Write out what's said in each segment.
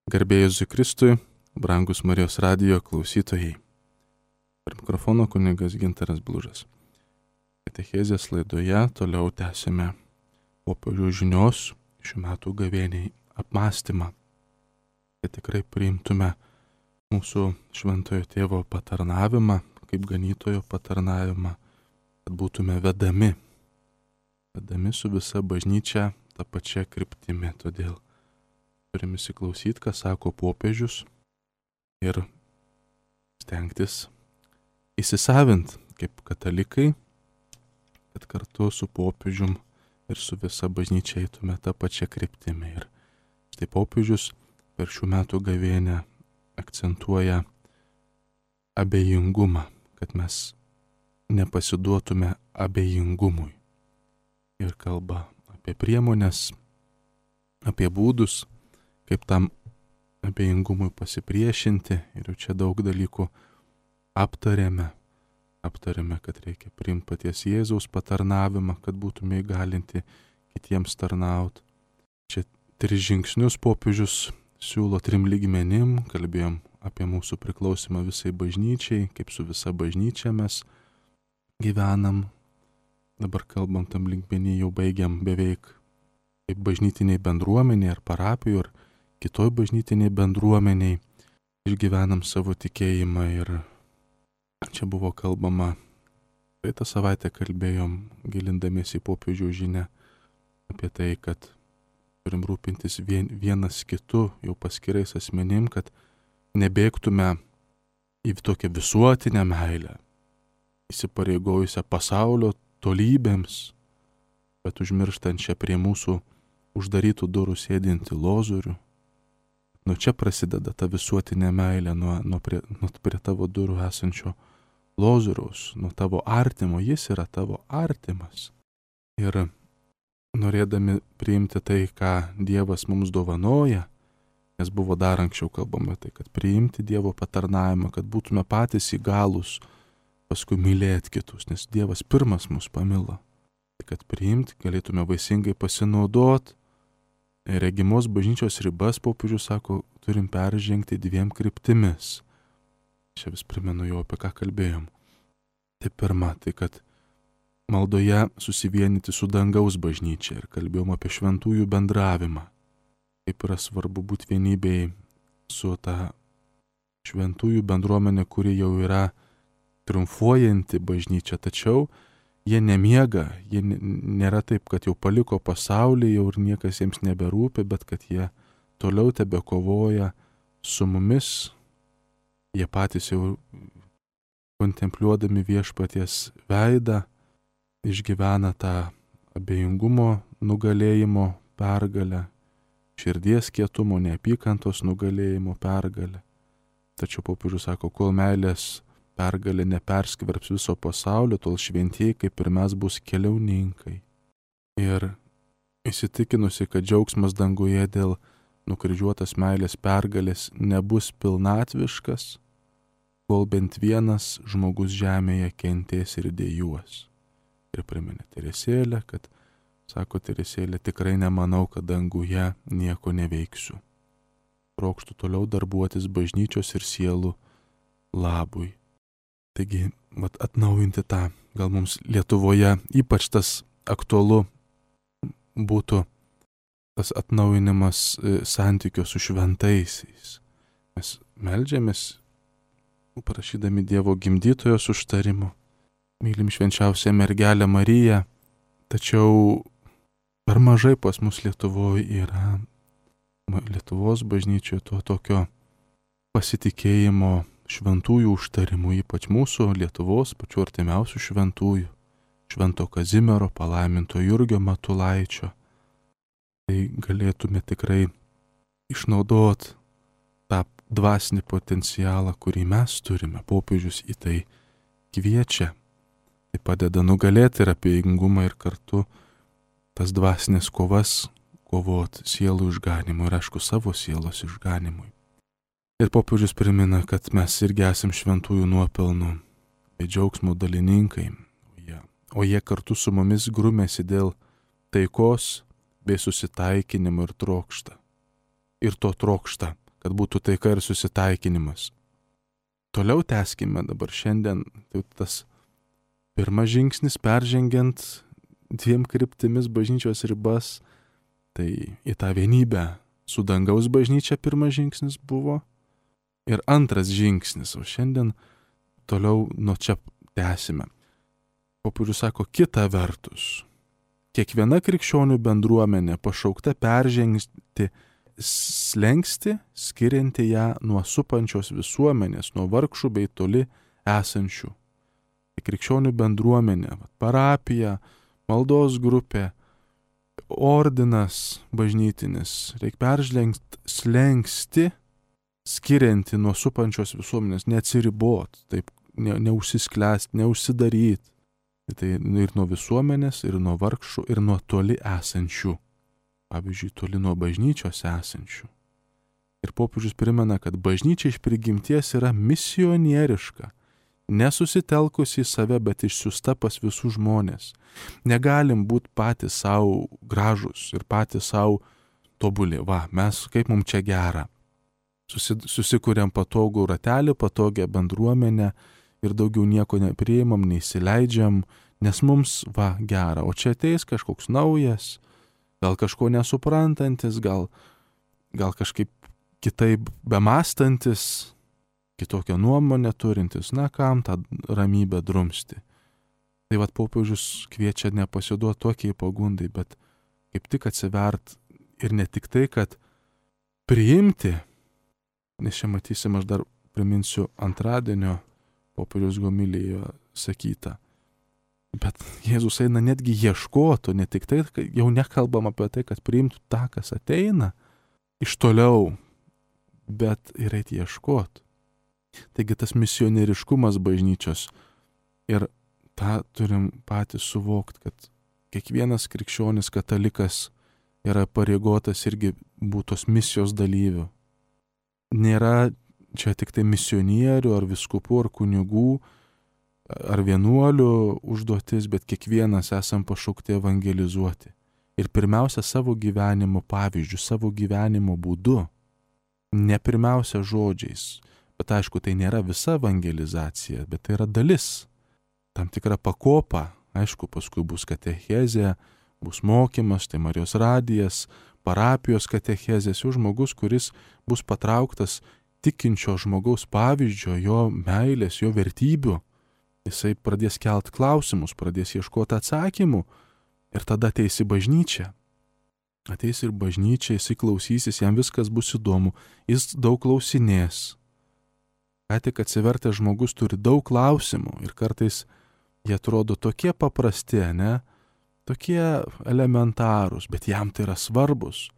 Garbė Jėzui Kristui, brangus Marijos radijo klausytojai. Per mikrofono kunigas Gintaras Blužas. Katechezės laidoje toliau tęsime popiežiaus žinios šių metų gavėniai apmąstymą, kad tikrai priimtume mūsų šventojo tėvo patarnavimą, kaip ganytojo patarnavimą, kad būtume vedami su visa bažnyčia tą pačią kryptimį. Todėl turime įsiklausyti, ką sako popiežius ir stengtis įsisavinti kaip katalikai, kad kartu su popiežium ir su visa bažnyčia eitume tą pačią kryptimį. Ir štai popiežius per šių metų gavėnią akcentuoja abejingumą, kad mes nepasiduotume abejingumui. Ir kalba apie priemonės, apie būdus, kaip tam abejingumui pasipriešinti. Ir jau čia daug dalykų aptarėme, kad reikia priimti paties Jėzaus patarnavimą, kad būtume įgalinti kitiems tarnauti. Čia 3 žingsnius popiežius siūlo 3 lygmenim. Kalbėjom apie mūsų priklausimą visai bažnyčiai, kaip su visa bažnyčia mes gyvenam. Dabar kalbam tam lygmenį, jau baigiam beveik kaip bažnytiniai bendruomeniai ar parapijų ar kitoj bažnytiniai bendruomeniai išgyvenam savo tikėjimą. Ir čia buvo kalbama, praeitą savaitę kalbėjom, gilindamiesi į popiežiaus žinią, apie tai, kad turim rūpintis vienas kitu, jau paskirais asmenim, kad nebėgtume į tokią visuotinę meilę, įsipareigojusią pasaulio tolybėms, bet užmirštančią prie mūsų uždarytų durų sėdinti lozorių. Nuo čia prasideda ta visuotinė meilė, nuo prie tavo durų esančio lozoriaus, nuo tavo artimo. Jis yra tavo artimas. Ir norėdami priimti tai, ką Dievas mums dovanoja, nes buvo dar anksčiau kalbama tai, kad priimti Dievo patarnavimą, kad būtume patys įgalūs paskui mylėti kitus, nes Dievas pirmas mus pamilo. Kad priimti, galėtume vaisingai pasinaudoti. Regimos bažnyčios ribas, popiežius sako, turim peržengti 2 kryptimis. Čia vis primenu jau, apie ką kalbėjom. Tai pirma, tai kad maldoje susivienyti su dangaus bažnyčia, ir kalbėjom apie šventųjų bendravimą. Kaip yra svarbu būti vienybėj su ta šventųjų bendruomenė, kuri jau yra triumfuojanti bažnyčia, tačiau jie nemiega, jie nėra taip, kad jau paliko pasaulį, jau ir niekas jiems neberūpi, bet kad jie toliau tebekovoja su mumis. Jie patys jau kontempliuodami viešpaties veidą išgyvena tą abejingumo nugalėjimo pergalę, širdies kietumo, neapykantos nugalėjimo pergalę. Tačiau popiežius sako, kol meilės pergalė neperskverbs viso pasaulio, tol šventieji kaip ir mes bus keliauninkai. Ir įsitikinusi, kad džiaugsmas danguje dėl nukryžiuotas meilės pergalės nebus pilnatviškas, kol bent vienas žmogus žemėje kentės ir dejuos. Ir priminė Teresėlę, kad, sako Teresėlė, tikrai nemanau, kad danguje nieko neveiksiu. Trokštu toliau darbuotis bažnyčios ir sielų labui. Taigi, atnaujinti tą, gal mums Lietuvoje ypač tas aktualu būtų tas atnaujinimas santykio su šventaisiais. Mes meldžiamės, prašydami Dievo gimdytojos užtarimo, mylim švenčiausią mergelę Mariją, tačiau per mažai pas mus Lietuvoje yra, Lietuvos bažnyčioje, to tokio pasitikėjimo šventųjų užtarimų, ypač mūsų Lietuvos pačių artimiausių šventųjų, Švento Kazimiero, palaiminto Jurgio Matulaičio. Tai galėtume tikrai išnaudoti tą dvasinį potencialą, kurį mes turime. Popiežius į tai kviečia. Tai padeda nugalėti ir abejingumą ir kartu tas dvasinės kovas kovoti sielų išganimui ir aišku savo sielos išganimui. Ir popiežius primena, kad mes irgi esam šventųjų nuopelnų bei džiaugsmo dalininkai, o jie kartu su mumis grumėsi dėl taikos bei susitaikinimo ir trokšta. Ir to trokšta kad būtų taika ir susitaikinimas. Toliau tęskime dabar šiandien, tai tas pirmas žingsnis peržengiant 2 kryptimis bažnyčios ribas, tai į tą vienybę su dangaus bažnyčia pirmas žingsnis buvo ir antras žingsnis, o šiandien toliau nuo čia tęsime. Popiežius sako, kita vertus, kiekviena krikščionių bendruomenė pašaukta peržengti slenkstį, skirianti ją nuo supančios visuomenės, nuo vargšų bei toli esančių. Krikščionių bendruomenė, parapija, maldos grupė, ordinas bažnytinis, reikia peržengti slenkstį, skirianti nuo supančios visuomenės, neatsiribot, taip neužsisklęst, neužsidaryt. Tai ir nuo visuomenės, ir nuo vargšų, ir nuo toli esančių. Pavyzdžiui, toli nuo bažnyčios esančių. Ir popiežius primena, kad bažnyčia iš prigimties yra misionieriška, nesusitelkusi į save, bet išsiųsta pas visus žmonės. Negalim būti patys savo gražus ir patys savo tobuli. Mes kaip mums čia gera. Susikuriam patogų ratelį, patogią bendruomenę ir daugiau nieko nepriimam, neįsileidžiam, nes mums gera. O čia ateis kažkoks naujas, gal kažko nesuprantantis, gal kažkaip kitaip bemastantis, kitokią nuomonę turintis, kam tą ramybę drumsti. Tai popiežius kviečia nepasiduoti tokiai pagundai, bet kaip tik atsivert ir ne tik tai, kad priimti, nes čia matysim, aš dar priminsiu antradienio popiežiaus homilijoje sakyta. Bet Jėzus eina netgi ieškotų, ne tik tai, jau nekalbam apie tai, kad priimtų tą, kas ateina iš toliau, bet ir eiti ieškoti. Taigi tas misionieriškumas bažnyčios ir tą turim patys suvokti, kad kiekvienas krikščionis katalikas yra pareigotas irgi būti tos misijos dalyvių. Nėra čia tik tai misionierių ar viskupų ar kunigų ar vienuolių užduotis, bet kiekvienas esam pašaukti evangelizuoti. Ir pirmiausia savo gyvenimo pavyzdžių, savo gyvenimo būdu. Ne pirmiausia žodžiais, bet aišku, tai nėra visa evangelizacija, bet tai yra dalis. Tam tikra pakopa, aišku, paskui bus katechezė, bus mokymas, tai Marijos radijas, parapijos katechezės, jau žmogus, kuris bus patrauktas tikinčio žmogaus pavyzdžio, jo meilės, jo vertybių. Jisai pradės kelt klausimus, pradės ieškoti atsakymų ir tada ateis į bažnyčią. Ateis ir bažnyčia, jisai klausysis, jam viskas bus įdomu, jis daug klausinės. Ką tik atsivertęs žmogus turi daug klausimų ir kartais jie atrodo tokie paprasti, tokie elementarūs, bet jam tai yra svarbus.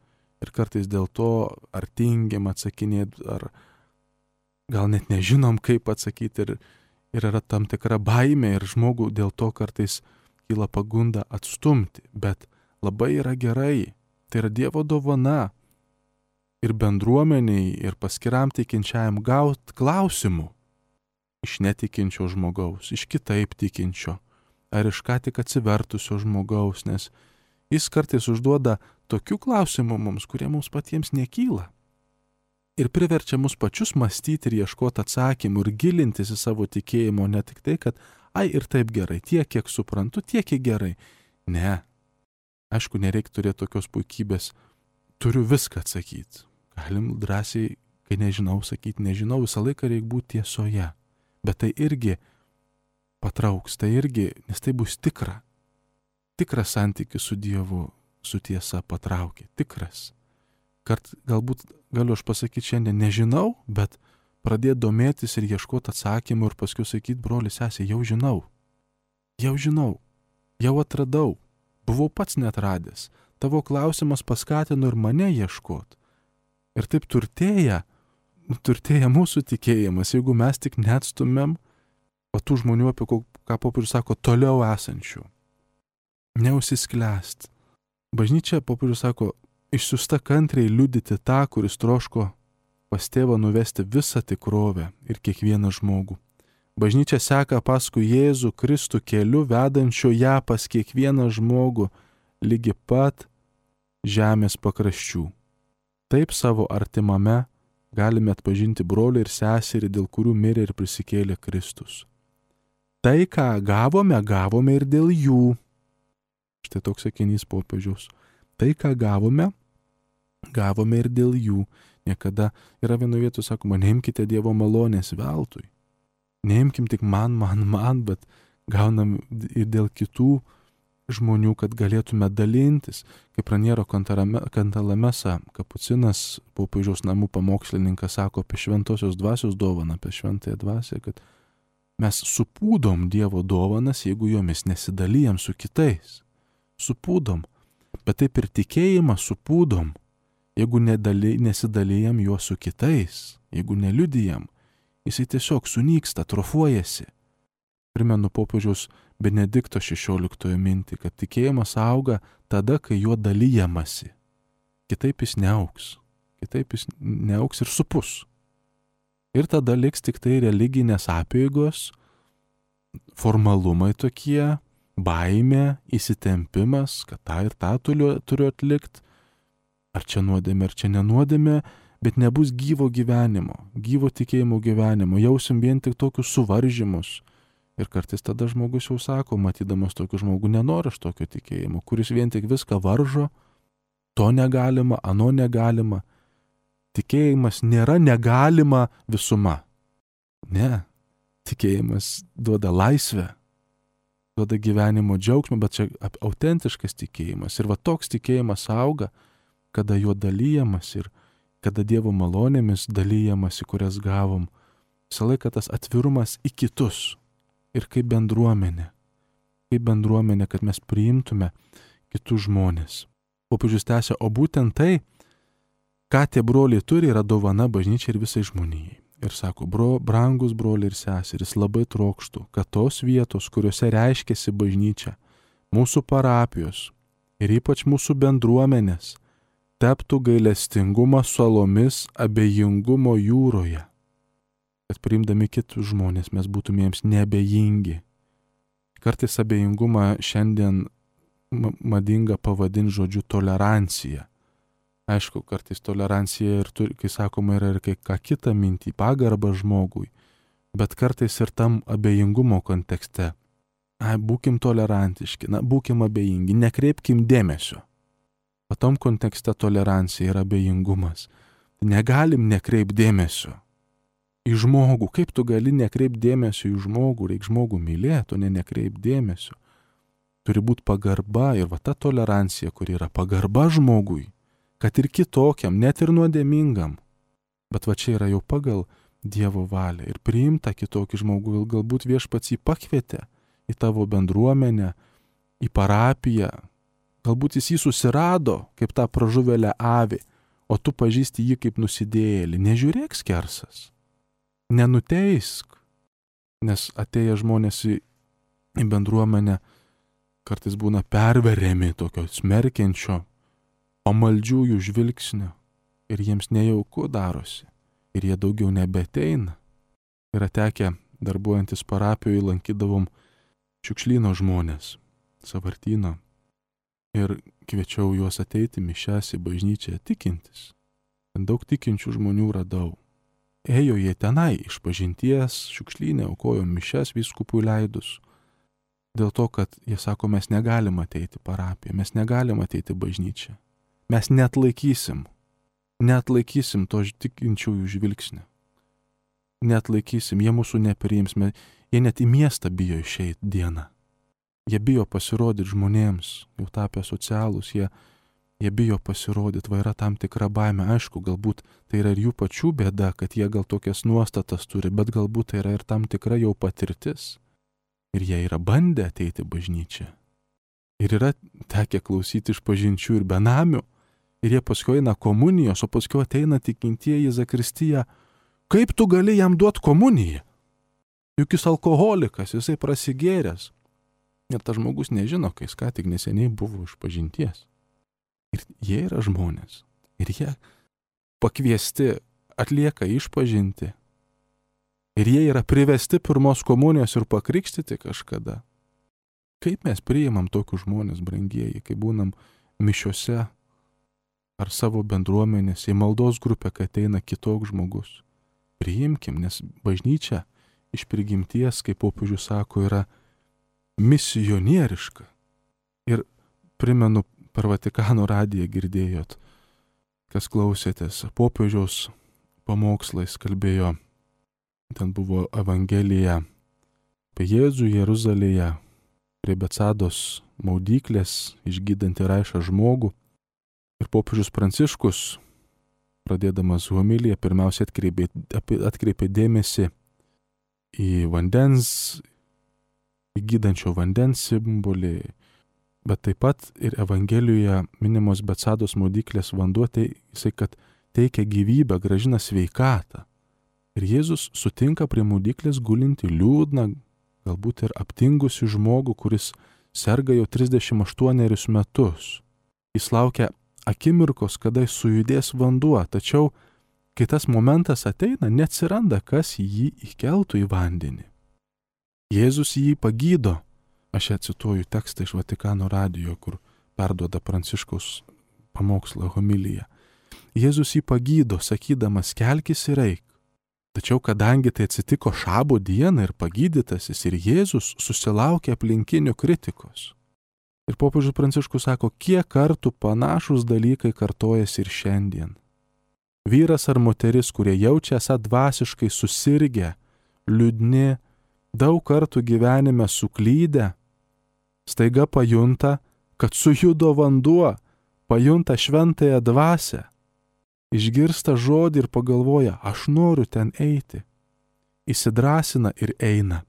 Ir kartais dėl to ar tingim atsakinėti, ar gal net nežinom, kaip atsakyti ir yra tam tikra baimė ir žmogų dėl to kartais kyla pagunda atstumti. Bet labai yra gerai, tai yra Dievo dovana ir bendruomeniai, ir paskiram tikinčiajam gauti klausimų iš netikinčio žmogaus, iš kitaip tikinčio, ar iš ką tik atsivertusio žmogaus, nes jis kartais užduoda tokių klausimų mums, kurie mums patiems nekyla. Ir priverčia mus pačius mąstyti ir ieškoti atsakymų ir gilintis į savo tikėjimo, ne tik tai, kad ir taip gerai, tiek, kiek suprantu, tiek, kiek gerai. Ne. Aišku, nereikia turėti tokios puikybės, turiu viską atsakyti. Galim drąsiai, kai nežinau, sakyti, nežinau, visą laiką reikia būti tiesoje. Bet tai irgi patrauks, tai irgi, nes tai bus tikra. Tikras santykis su Dievu, su tiesa patraukia, tikras. Galbūt galiu aš pasakyti šiandien, nežinau, bet pradėti domėtis ir ieškoti atsakymų ir paskui sakyti, broli, sesė, jau žinau, jau atradau, buvau pats netradęs, tavo klausimas paskatino ir mane ieškoti. Ir taip turtėja mūsų tikėjimas, jeigu mes tik neatstumėm tų žmonių, apie ką popiežius sako, toliau esančių. Neužsisklęst. Bažnyčia, popiežius sako, išsiųsta kantriai liudyti tą, kuris troško pas tėvą nuvesti visą tikrovę ir kiekvieną žmogų. Bažnyčia seka paskui Jėzų Kristų keliu, vedančio ją pas kiekvieną žmogų lygi pat žemės pakraščių. Taip savo artimame galime atpažinti brolį ir seserį, dėl kurių mirė ir prisikėlė Kristus. Tai, ką gavome, gavome ir dėl jų. Štai toks sakinys popiežiaus. Tai, ką gavome, gavome ir dėl jų. Niekada yra vienoje vietoje sakoma, neimkite Dievo malonės veltui. Neimkim tik man, bet gaunam ir dėl kitų žmonių, kad galėtume dalintis. Kaip Raniero Cantalamessa, kapucinas, popiežiaus namų pamokslininkas, sako apie šventosios dvasios dovaną, apie šventąją dvasią, kad mes supūdom Dievo dovanas, jeigu jomis nesidalijam su kitais. Supūdom. Bet taip ir tikėjimą supūdom, jeigu nesidalijam juo su kitais, jeigu neliudijam, jisai tiesiog sunyksta, atrofuojasi. Primenu popiežiaus Benedikto 16 mintį, kad tikėjimas auga tada, kai juo dalijamasi. Kitaip jis neaugs. Kitaip jis neaugs ir supus. Ir tada liks tik tai religinės apėgos, formalumai tokie, baimė, įsitempimas, kad tą ir tą turiu atlikti. Ar čia nuodėmė, ar čia nenuodėmė, bet nebus gyvo gyvenimo, gyvo tikėjimo gyvenimo. Jausim vien tik tokius suvaržymus. Ir kartais tada žmogus jau sako, matydamas tokį žmogų, nenori aš tokio tikėjimo, kuris vien tik viską varžo, to negalima, ano negalima. Tikėjimas nėra negalima visuma. Ne, tikėjimas duoda laisvę, duoda gyvenimo džiaugsmą, bet čia autentiškas tikėjimas. Ir va toks tikėjimas auga, kada juo dalyjamas ir kada Dievo malonėmis dalyjamasi, kurias gavom. Visą laiką tas atvirumas į kitus. Ir kaip bendruomenė, kad mes priimtume kitus žmonės. Popiežius tęsia, o būtent tai, ką tie broliai turi, yra dovana bažnyčiai ir visai žmonijai. Ir sako, brangus broliai ir seserys, labai trokštų, kad tos vietos, kuriuose reiškiasi bažnyčia, mūsų parapijos ir ypač mūsų bendruomenės, taptų gailestingumo salomis abejingumo jūroje. Kad priimdami kitus žmonės mes būtume jiems neabejingi. Kartais abejingumą šiandien madinga pavadinti žodžiu tolerancija. Aišku, kartais tolerancija ir kai sakoma yra ir ką kitą mintį, pagarbą žmogui, bet kartais ir tam abejingumo kontekste. Būkim tolerantiški, būkim abejingi, nekreipkim dėmesio. O tam kontekste tolerancija yra abejingumas. Negalim nekreipti dėmesio į žmogų. Kaip tu gali nekreipti dėmesio į žmogų, reikia žmogų mylėti, o nekreipti dėmesio. Turi būti pagarba ir va ta tolerancija, kuri yra pagarba žmogui, kad ir kitokiam, net ir nuodėmingam. Bet va čia yra jau pagal Dievo valią ir priimta kitokį žmogų, galbūt viešpats jį pakvietė į tavo bendruomenę, į parapiją, galbūt jis jį susirado kaip tą pražuvėlę avį, o tu pažįsti jį kaip nusidėjėlį. Nežiūrėk skersas. Nenuteisk, nes atėję žmonės į bendruomenę kartais būna perveriami tokio smerkiančio, pamaldžiųjų žvilgsnio ir jiems nejauku darosi ir jie daugiau nebeteina. Yra tekę, darbuojantis parapijoje, lankydavom šiukšlyno žmonės, sąvartyno ir kviečiau juos ateiti mišias į bažnyčią tikintis. Daug tikinčių žmonių radau. Ėjo jie tenai išpažinties, šiukšlynę, aukojo mišias vyskupui leidus. Dėl to, kad jie sako, mes negalim ateiti parapiją, mes negalim ateiti bažnyčią. Mes neatlaikysim to tikinčiųjų žvilgsnio. Neatlaikysim, jie mūsų nepriims, jie net į miestą bijo išeiti dieną. Jie bijo pasirodyti žmonėms, jau tapę socialūs, jie bijo pasirodyti, va yra tam tikra baimė. Aišku, galbūt tai yra ir jų pačių bėda, kad jie gal tokias nuostatas turi, bet galbūt tai yra ir tam tikra jau patirtis. Ir jie yra bandę ateiti bažnyčią. Ir yra tekę klausyti išpažinčių ir benamių. Ir jie paskui eina komunijos, o paskui ateina tikintieji į zakristiją. Kaip tu gali jam duoti komuniją? Juk jis alkoholikas, jisai prasigėręs. Ir tas žmogus nežino, kai jis ką tik neseniai buvo išpažinties. Ir jie yra žmonės. Ir jie pakviesti atlieka išpažinti. Ir jie yra privesti pirmos komunijos ir pakrikštyti kažkada. Kaip mes priimam tokius žmonės, brangieji, kai būnam mišiose ar savo bendruomenės, į maldos grupę, kai ateina kitoks žmogus. Priimkim, nes bažnyčia iš prigimties, kaip popiežius sako, yra misionieriška. Ir primenu, per Vatikano radiją girdėjot, kas klausėtės, popiežiaus pamokslais kalbėjo, ten buvo Evangelija apie Jėzų Jeruzalėje, prie Betsados maudyklės, išgydantį raišą žmogų. Ir popiežius Pranciškus, pradėdamas homiliją, pirmiausia atkreipė dėmesį į vandens, į gydančio vandens simbolį, bet taip pat ir Evangelijoje minimos Betsados maudyklės vanduo, jisai, kad teikia gyvybę, gražina sveikatą. Ir Jėzus sutinka prie maudyklės gulinti liūdną, galbūt ir aptingusi žmogų, kuris serga jau 38 metus. Jis laukia akimirkos, kada sujudės vanduo, tačiau, kai tas momentas ateina, neatsiranda, kas jį įkeltų į vandenį. Jėzus jį pagydo. Aš čia cituoju tekstą iš Vatikano radijo, kur perduoda Pranciškaus pamokslą homiliją. Jėzus jį pagydo, sakydamas, kelkis ir eik. Tačiau kadangi tai atsitiko šabo dieną ir pagydytasis, ir Jėzus susilaukė aplinkinių kritikos. Ir popiežius Pranciškus sako, kiek kartų panašus dalykai kartojasi ir šiandien. Vyras ar moteris, kurie jaučia esą dvasiškai susirgę, liūdni, daug kartų gyvenime suklydę, staiga pajunta, kad sujudo vanduo, pajunta šventąją dvasią. Išgirsta žodį ir pagalvoja, aš noriu ten eiti. Įsidrąsina ir eina.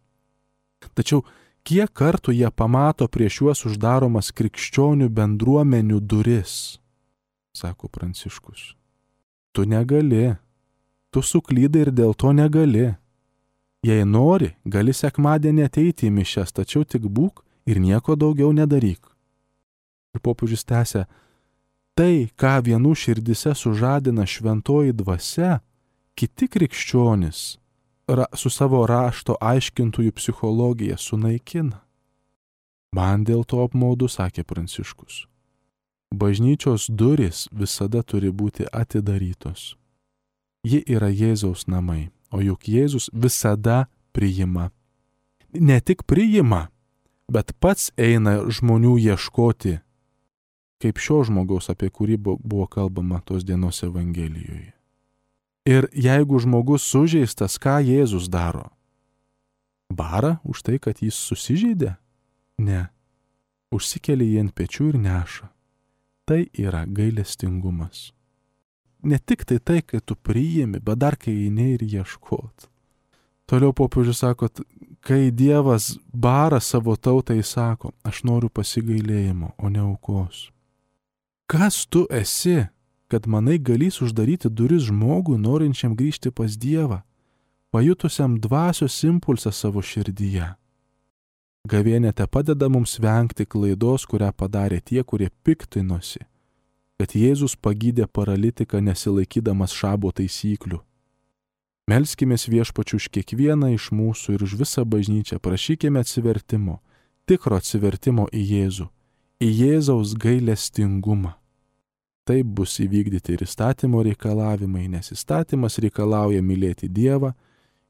Tačiau kiek kartų jie pamato prieš juos uždaromas krikščionių bendruomenių duris, sako Pranciškus. Tu negali, tu suklydai ir dėl to negali. Jei nori, gali sekmadienį ateiti į mišias, tačiau tik būk ir nieko daugiau nedaryk. Ir popiežius tęsia, tai, ką vienų širdise sužadina šventoji dvasia, kiti krikščionys su savo rašto aiškintojų psichologija sunaikina. Man dėl to apmaudu, sakė Pranciškus. Bažnyčios durys visada turi būti atidarytos. Ji yra Jėzaus namai, o juk Jėzus visada priima. Ne tik priima, bet pats eina žmonių ieškoti, kaip šio žmogaus, apie kurį buvo kalbama tos dienos Evangelijoje. Ir jeigu žmogus sužeistas, ką Jėzus daro? Bara už tai, kad jis susižeidė? Ne. Užsikelia jį ant pečių ir neša. Tai yra gailestingumas. Ne tik tai, kai tu priimi, bet dar kai eini ir ieškot. Toliau popiežius sako, kai Dievas bara savo tautai, sako, aš noriu pasigailėjimo, o ne aukos. Kas tu esi, kad manai galys uždaryti duris žmogui, norinčiam grįžti pas Dievą, pajutusiam dvasios impulsą savo širdyje? Gavėnia te padeda mums vengti klaidos, kurią padarė tie, kurie piktinosi, kad Jėzus pagydė paralitiką nesilaikydamas šabo taisyklių. Melskimės Viešpačiu už kiekvieną iš mūsų ir už visą bažnyčią, prašykime atsivertimo, tikro atsivertimo į Jėzų, į Jėzaus gailestingumą. Taip bus įvykdyti ir įstatymo reikalavimai, nes įstatymas reikalauja mylėti Dievą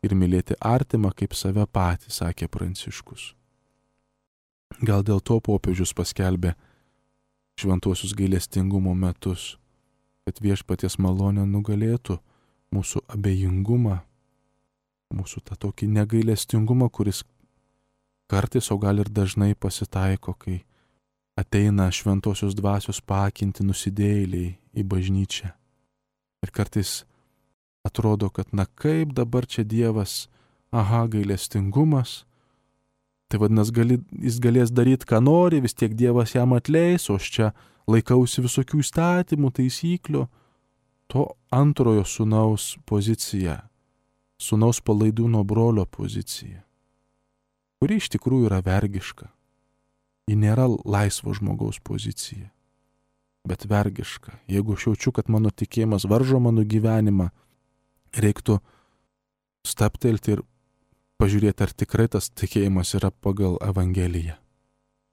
ir mylėti artimą kaip save patį, sakė Pranciškus. Gal dėl to popiežius paskelbė šventuosius gailestingumo metus, kad Viešpaties malonė nugalėtų mūsų abejingumą, mūsų tą tokį negailestingumą, kuris kartais, o gal ir dažnai pasitaiko, kai ateina šventosios dvasios paakinti nusidėjėliai į bažnyčią. Ir kartais atrodo, kad kaip dabar čia Dievas, gailestingumas, tai vadinasi, jis galės daryti, ką nori, vis tiek Dievas jam atleis, o aš čia laikausi visokių įstatymų, taisyklių. To antrojo sūnaus pozicija, sūnaus palaidūno brolio pozicija, kuri iš tikrųjų yra vergiška. Ji nėra laisvo žmogaus pozicija, bet vergiška. Jeigu aš jaučiu, kad mano tikėjimas varžo mano gyvenimą, reiktų stabtelti ir pažiūrėti, ar tikrai tas tikėjimas yra pagal Evangeliją.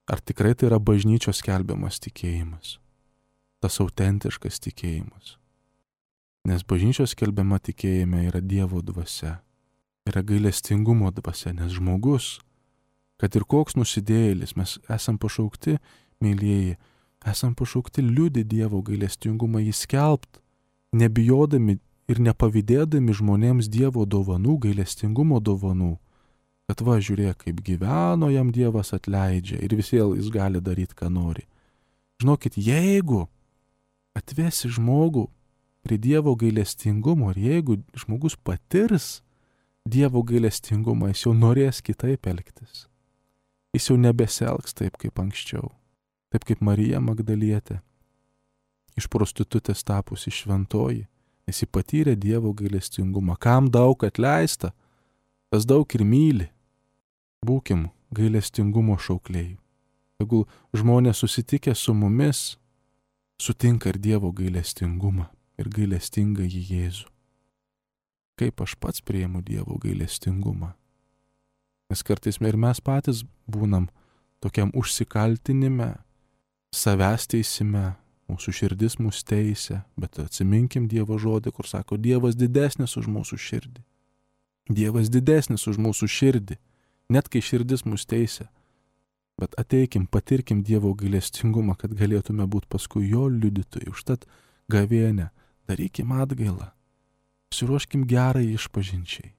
Ar tikrai tai yra bažnyčios skelbiamas tikėjimas. tas autentiškas tikėjimas. Nes bažnyčios skelbiama tikėjime yra Dievo dvasia, yra gailestingumo dvasia, nes žmogus, kad ir koks nusidėjėlis, mes esam pašaukti, mylėjai, esam pašaukti liudyti Dievo gailestingumą, jį skelbt, nebijodami ir nepavydėdami žmonėms Dievo dovanų, gailestingumo dovanų, kad va, žiūrėk, kaip gyveno, jam Dievas atleidžia ir vis vėl jis gali daryti, ką nori. Žinokit, jeigu atvesi žmogų prie Dievo gailestingumo ir jeigu žmogus patirs Dievo gailestingumą, jis jau norės kitaip elgtis. Jis jau nebesielgs taip, kaip anksčiau. Taip kaip Marija Magdalietė. Iš prostitutės tapusi šventoji, nes ji patyrė Dievo gailestingumą. Kam daug atleista, tas daug ir myli. Būkim gailestingumo šaukliai. Tegul žmonės susitikę su mumis sutinka ir Dievo gailestingumą ir gailestingą jį Jėzų. Kaip aš pats priimu Dievo gailestingumą. Nes kartais ir mes patys būnam tokiam užsikaltinime, savęs teisime, mūsų širdis mus teisia, bet atsiminkim Dievo žodį, kur sako, Dievas didesnis už mūsų širdį. Dievas didesnis už mūsų širdį, net kai širdis mus teisia. Bet ateikim, patirkim Dievo gailestingumą, kad galėtume būti paskui jo liudytojai. Užtat gavėnę, darykim atgailą, pasiruoškim gerai išpažinčiai,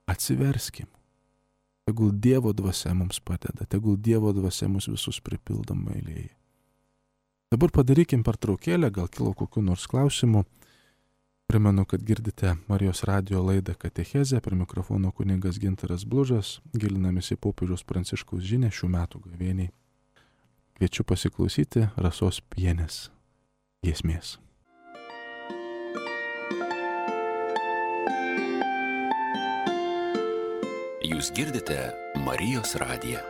atsiverskim. Tegul Dievo dvasia mums padeda, tegul Dievo dvasia mus visus pripildo meilėje. Dabar padarykim pertraukėlę, gal kilo kokių nors klausimų. Primenu, kad girdite Marijos radijo laidą Katechezę, prie mikrofono kunigas Gintaras Blužas, gilinamės į popiežiaus Pranciškaus žinią šių metų gavėniai. Kviečiu pasiklausyti Rasos Pienės giesmės. Jūs girdite Marijos radiją.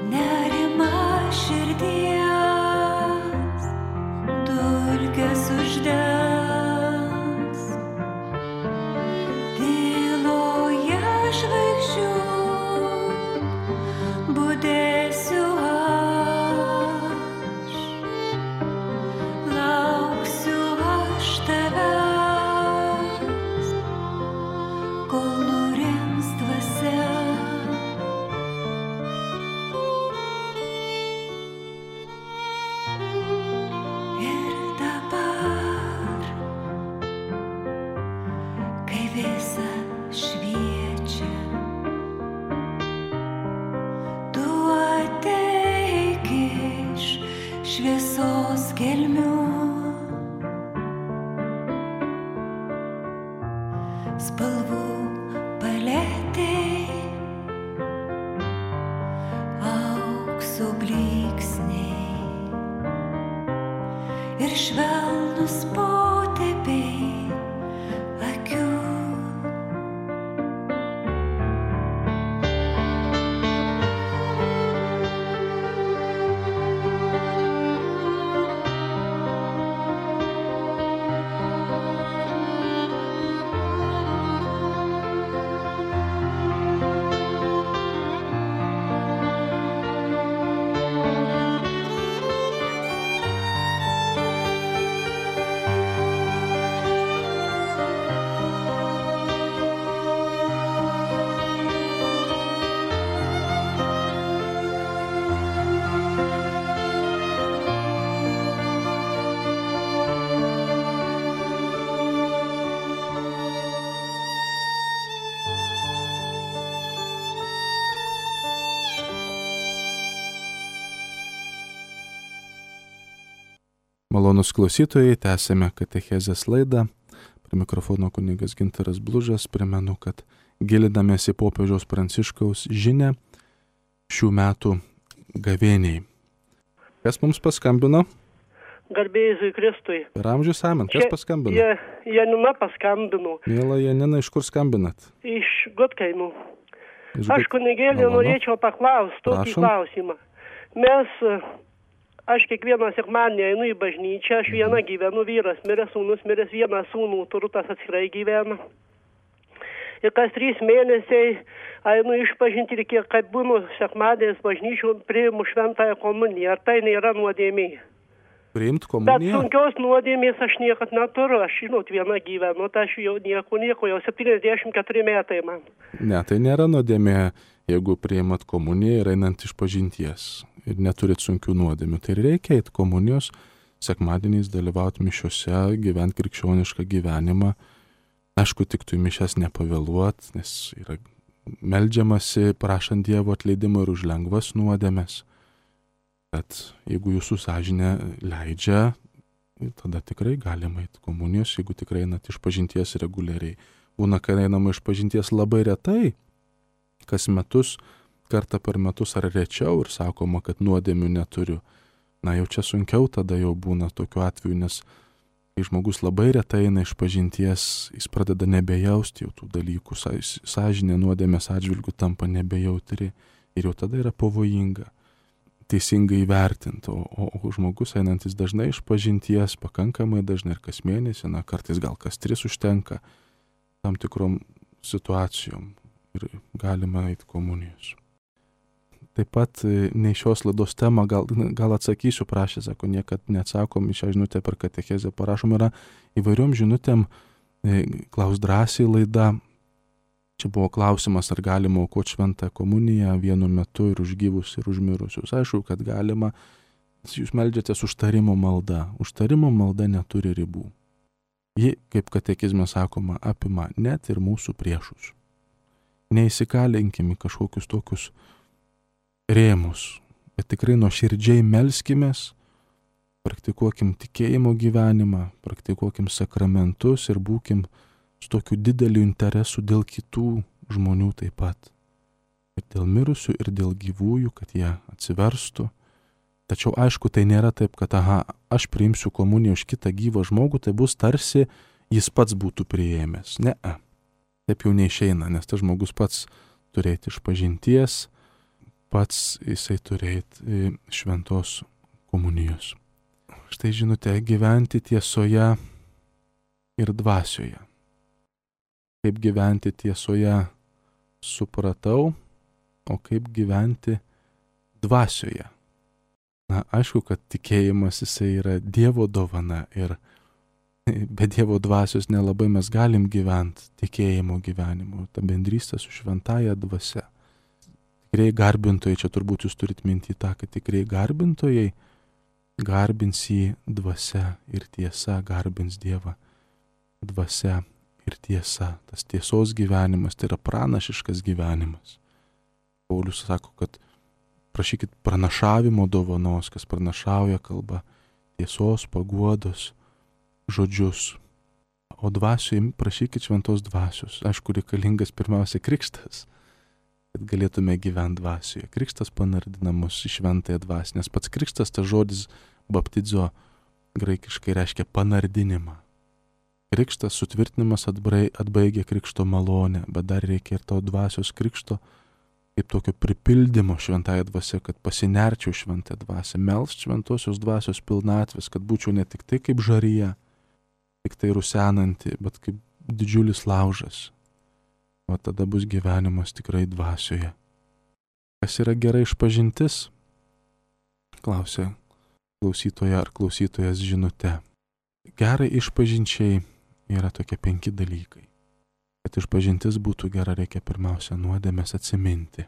Nerima širdyje spalvų paletė, aukso blyksniai ir švelnus potėpiai akių. Malonūs klausytojai, tęsėme katechezės laidą. Prie mikrofono kunigas Gintaras Blužas. Primenu, kad gilinamės į popiežiaus Pranciškaus žinią šių metų gavėniai. Kas mums paskambino? Garbė Jėzui Kristui. Per amžius amen. Kas paskambino? Janina paskambino. Miela Janina, iš kur skambinat? Iš Gudkaimų. Aš kunigėlį norėčiau paklausti tokį klausimą. Aš kiekvieną sekmadienį einu į bažnyčią, aš viena gyvenu, vyras miręs, sūnus miręs, vieną sūnų turiu, tas atskirai gyvena. Ir kas 3 mėnesiai einu išpažinti ir kiek kaip būnu sekmadieniais bažnyčių, priimu šventąją komuniją. Ar tai nėra nuodėmė? Priimt komuniją? Bet sunkios nuodėmės aš niekad neturiu. Aš, viena gyvenu, tai aš jau nieko, jau 74 metai man. Ne, tai nėra nuodėmė, jeigu priimat komuniją ir einant išpažinties. Ir neturit sunkių nuodėmių. Tai reikia eiti komunijos, sekmadieniais dalyvauti mišiose, gyventi krikščionišką gyvenimą. Aišku, tik tu į mišias nepavėluot, nes yra meldžiamasi, prašant Dievo atleidimo ir už lengvas nuodėmes. Bet jeigu jūsų sąžinė leidžia, tada tikrai galima eiti komunijos, jeigu tikrai einat išpažinties reguliariai. Būna, kad einama išpažinties labai retai, kas metus, kartą per metus ar rečiau ir sakoma, kad nuodėmių neturiu. Na jau čia sunkiau tada jau būna tokiu atveju, nes kai žmogus labai retai eina išpažinties, jis pradeda nebejausti jau tų dalykų, sąžinė nuodėmės atžvilgių tampa nebejautri ir jau tada yra pavojinga teisingai įvertinti. O žmogus einantis dažnai išpažinties, pakankamai dažnai ir kas mėnesį, kartais gal kas 3 užtenka tam tikrom situacijom ir galima eiti komunijos. Taip pat nei šios laidos temą gal atsakysiu, prašė, sako, niekad neatsakom į šią žinutę per katechezę. Parašom yra įvairiom žinutėm, klaus drąsiai laida. Čia buvo klausimas, ar galima aukoti šventą komuniją vienu metu ir už gyvus ir už mirusius. Aišku, kad galima. Jūs meldžiatės užtarimo malda. Užtarimo malda neturi ribų. Ji, kaip katekizme sakoma, apima net ir mūsų priešus. Neįsikalinkime kažkokius tokius rėmus, bet tikrai nuoširdžiai melskimės, praktikuokim tikėjimo gyvenimą, praktikuokim sakramentus ir būkim su tokiu dideliu interesu dėl kitų žmonių taip pat. Ir dėl mirusių, ir dėl gyvųjų, kad jie atsiverstų. Tačiau aišku, tai nėra taip, kad aš priimsiu komuniją už kitą gyvą žmogų, tai bus tarsi jis pats būtų priėmęs. Ne, taip jau neišeina, nes tas žmogus pats turėti išpažinties, pats jisai turėti šventos komunijos. Štai žinote, gyventi tiesoje ir dvasioje. Kaip gyventi tiesoje supratau, o kaip gyventi dvasioje. Aišku, kad tikėjimas jisai yra Dievo dovana ir be Dievo dvasios nelabai mes galim gyventi tikėjimo gyvenimu, ta bendrystė su šventąja dvasia. Tikrai garbintojai, čia turbūt jūs turit minti tą, kad tikrai garbintojai garbins jį dvasia ir tiesa, garbins Dievą dvasia ir tiesa. Tas tiesos gyvenimas, tai yra pranašiškas gyvenimas. Paulius sako, kad prašykit pranašavimo dovanos, kas pranašauja kalba, tiesos, paguodos žodžius. O dvasioje prašykit šventos dvasios. Aišku, reikalingas pirmiausia krikštas, kad galėtume gyventi dvasioje. Krikštas panardina mus į šventąją dvasią, nes pats krikštas, tas žodis baptizo graikiškai reiškia panardinimą. Krikštas, sutvirtinimas atbaigia krikšto malonę, bet dar reikia ir to dvasios krikšto, kaip tokio pripildymo šventąją dvasią, kad pasinerčiau šventąją dvasią, melst šventosios dvasios pilnatvės, kad būčiau ne tik tai kaip žaryje, tik tai rusenanti, bet kaip didžiulis laužas. O tada bus gyvenimas tikrai dvasioje. Kas yra gera išpažintis? Klausė klausytoja ar klausytojas žinute. Gerai išpažinčiai yra tokie 5 dalykai. Kad išpažintis būtų gera, reikia pirmiausia nuodėmes atsiminti.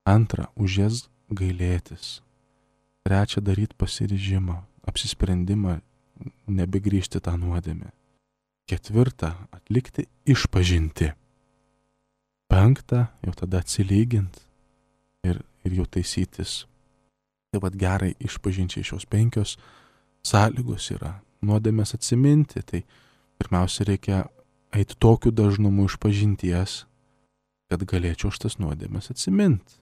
2, už jas gailėtis. 3, daryti pasiryžimą, apsisprendimą, nebegrįžti tą nuodėmę. 4, atlikti išpažinti. 5, jau tada atsilyginti ir jau taisytis. Tai vad gerai išpažinčiai šios 5 sąlygos yra. Nuodėmės atsiminti, tai pirmiausia reikia eiti tokiu dažnumu išpažinties, kad galėčiau šitas nuodėmės atsiminti.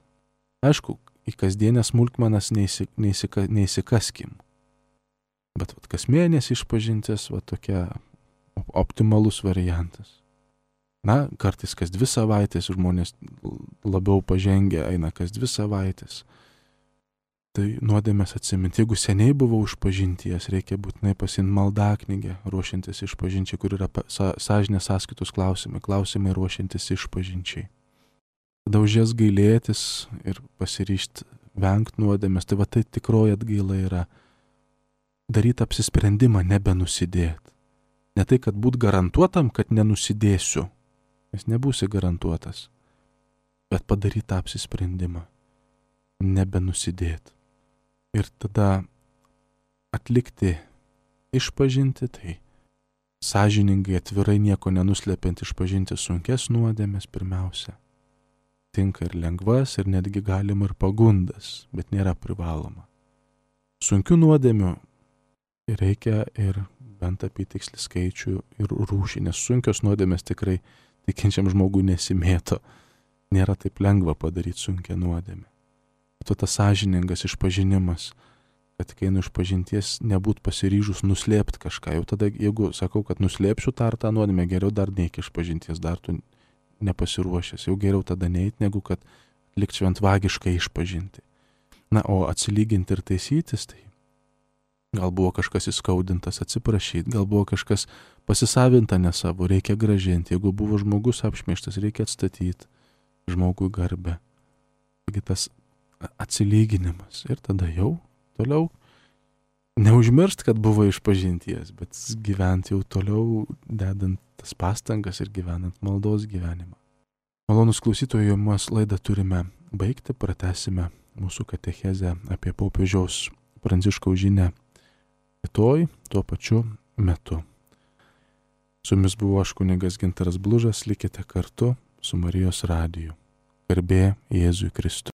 Aišku, į kasdienės smulkmenas neįsikaskim. Bet vat, kas mėnesį išpažintis, va tokia optimalus variantas. Na, kartais kas 2 savaitės, žmonės labiau pažengę eina kas 2 savaitės. Tai nuodėmės atsiminti. Jeigu seniai buvau išpažinties, reikia būtinai pasiimti maldaknygę, ruošiantis išpažinčiai, kur yra sąžinės sąskaitos klausimai ruošiantis išpažinčiai. Tada už jas gailėtis ir pasiryžti vengti nuodėmės. Tai va tai tikroji atgaila yra daryti apsisprendimą nebenusidėti. Ne tai, kad būt garantuotam, kad nenusidėsiu, nes nebūsi garantuotas, bet padaryti tą apsisprendimą nebenusidėti. Ir tada atlikti išpažinti, tai sąžiningai, atvirai, nieko nenuslepiant išpažinti sunkes nuodėmės pirmiausia. Tinka ir lengvas, ir netgi galima ir pagundas, bet nėra privaloma. Sunkių nuodėmių reikia ir bent apytikslį skaičių ir rūšį, nes sunkios nuodėmės tikrai tikinčiam žmogui nesimėto. Nėra taip lengva padaryti sunkią nuodėmę. Bet tas sąžiningas išpažinimas, kad kai einu išpažinties nebūt pasiryžus nuslėpti kažką. Jau tada, jeigu sakau, kad nuslėpsiu tą nuodėmę, geriau dar neik išpažinties, dar tu nepasiruošęs. Jau geriau tada neit, negu kad likt šventvagiškai išpažinti. Na, o atsilyginti ir taisytis, tai gal buvo kažkas įskaudintas, atsiprašyti, gal buvo kažkas pasisavinta ne savo, reikia gražinti. Jeigu buvo žmogus apšmeižtas, reikia atstatyti žmogui garbę. Taigi tas atsilyginimas ir tada jau toliau neužmiršt, kad buvo išpažinties, bet gyventi jau toliau, dedant tas pastangas ir gyvenant maldos gyvenimą. Malonus klausytojai, mes laidą turime baigti, pratęsime mūsų katechezę apie popiežiaus Pranciškaus žinią rytoj tuo pačiu metu. Su jumis buvo aš kunigas Gintaras Blužas, likite kartu su Marijos radiju. Garbė Jėzui Kristui.